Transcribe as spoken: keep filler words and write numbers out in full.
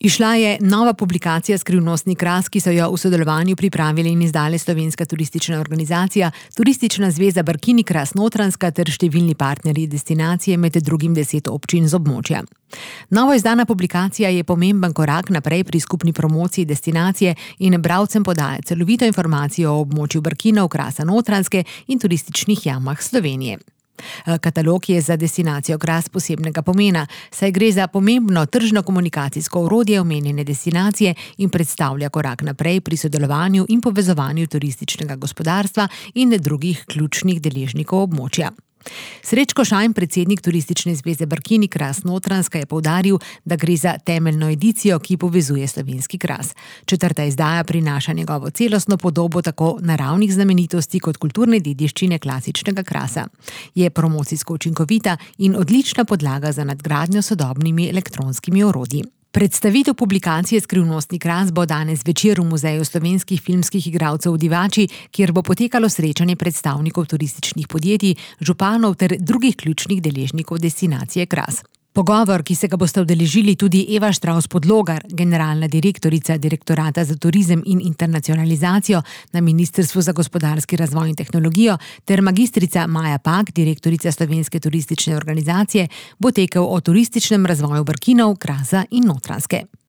Izšla je nova publikacija Skrivnostni kras, ki so jo v sodelovanju pripravili in izdale Slovenska turistična organizacija, Turistična zveza Brkini kras Notranjska ter številni partnerji destinacije, med drugim deset občin z območja. Novo izdana publikacija je pomemben korak naprej pri skupni promociji destinacije in bralcem podaja celovito informacijo o območju Brkinov, Krasa Notranjske in turističnih jamah Slovenije. Katalog je za destinacijo Kras posebnega pomena, saj gre za pomembno tržno-komunikacijsko orodje omenjene destinacije in predstavlja korak naprej pri sodelovanju in povezovanju turističnega gospodarstva in drugih ključnih deležnikov območja. Srečko Šajn, predsednik Turistične zveze Brkini kras Notranjska, je poudaril, da gre za temeljno edicijo, ki povezuje slovenski kras. Četrta izdaja prinaša njegovo celostno podobo tako naravnih znamenitosti kot kulturne dediščine klasičnega krasa. Je promocijsko učinkovita in odlična podlaga za nadgradnjo sodobnimi elektronskimi orodji. Predstavitev publikacije Skrivnostni kras bo danes zvečer v Muzeju slovenskih filmskih igralcev v Divači, kjer bo potekalo srečanje predstavnikov turističnih podjetij, županov ter drugih ključnih deležnikov destinacije Kras. Pogovor, ki se ga boste udeležili tudi Eva Štravs-Podlogar, generalna direktorica Direktorata za turizem in internacionalizacijo na Ministrstvu za gospodarski razvoj in tehnologijo, ter magistrica Maja Pak, direktorica Slovenske turistične organizacije, bo tekel o turističnem razvoju Brkinov, Krasa in Notranjske.